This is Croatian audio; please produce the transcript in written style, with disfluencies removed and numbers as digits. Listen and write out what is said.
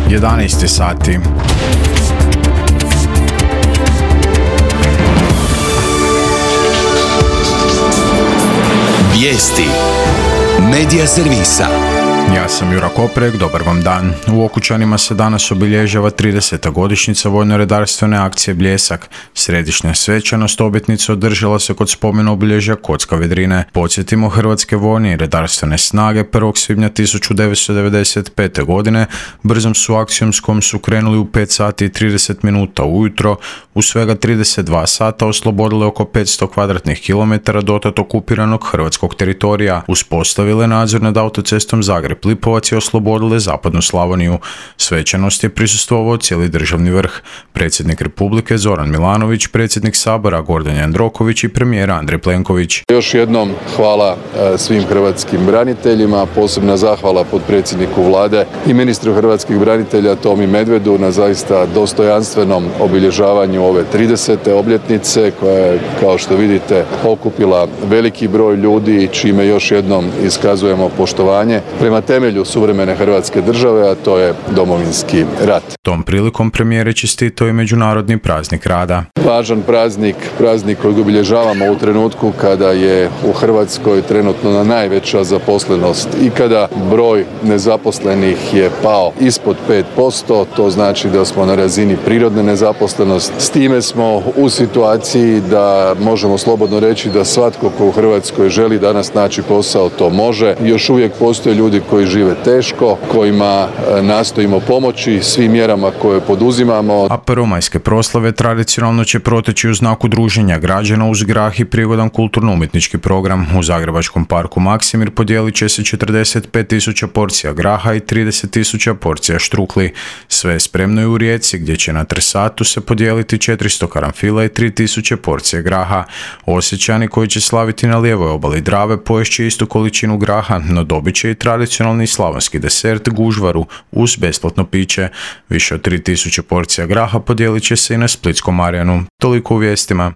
11 sati. Vijesti Medija servisa. Ja sam Jura Koprek, dobar vam dan. U Okučanima se danas obilježava 30. godišnjica vojno-redarstvene akcije Bljesak. Središnja svečanost obljetnice održala se kod spomena obilježja Kocka Vedrine. Podsjetimo, hrvatske vojne i redarstvene snage 1. svibnja 1995. godine brzom su akcijom s kojom su krenuli u 5 sati i 30 minuta ujutro, u svega 32 sata oslobodile oko 500 kvadratnih kilometara dotad okupiranog hrvatskog teritorija, uspostavile nadzor nad autocestom Zagreb-Lipovac i oslobodile zapadnu Slavoniju. Svečanost je prisustvovao cijeli državni vrh. Predsjednik Republike Zoran Milanović, predsjednik Sabora Gordan Jandroković i premijer Andrej Plenković. Još jednom hvala svim hrvatskim braniteljima, posebna zahvala potpredsjedniku Vlade i ministru hrvatskih branitelja Tomi Medvedu na zaista dostojanstvenom obilježavanju ove 30. obljetnice koja je, kao što vidite, okupila veliki broj ljudi, čime još jednom iskazujemo poštovanje prema temelju suvremene Hrvatske države, a to je Domovinski rat. Tom prilikom premijer je čestitao i Međunarodni praznik rada. Važan praznik kojeg obilježavamo u trenutku kada je u Hrvatskoj trenutno najveća zaposlenost i kada broj nezaposlenih je pao ispod 5%, to znači da smo na razini prirodne nezaposlenosti. S time smo u situaciji da možemo slobodno reći da svatko ko u Hrvatskoj želi danas naći posao to može. Još uvijek postoje ljudi koji žive teško, kojima nastojimo pomoći svim mjerama koje poduzimamo. A prvomajske proslave tradicionalno će proteći u znaku druženja građana uz grah i prigodan kulturno-umjetnički program. U Zagrebačkom parku Maksimir podijelit će se 45.000 porcija graha i 30.000 porcija štrukli. Sve je spremno i u Rijeci, gdje će na Trsatu se podijeliti 400 karanfila i 3.000 porcije graha. Osječani koji će slaviti na lijevoj obali Drave poješće istu količinu graha, no dobit će i tradicionalni slavonski desert gužvaru uz besplatno piće. Više od 3.000 porcija graha podijelit će se i na Splitskom Marjanu. Toliko u vijestima.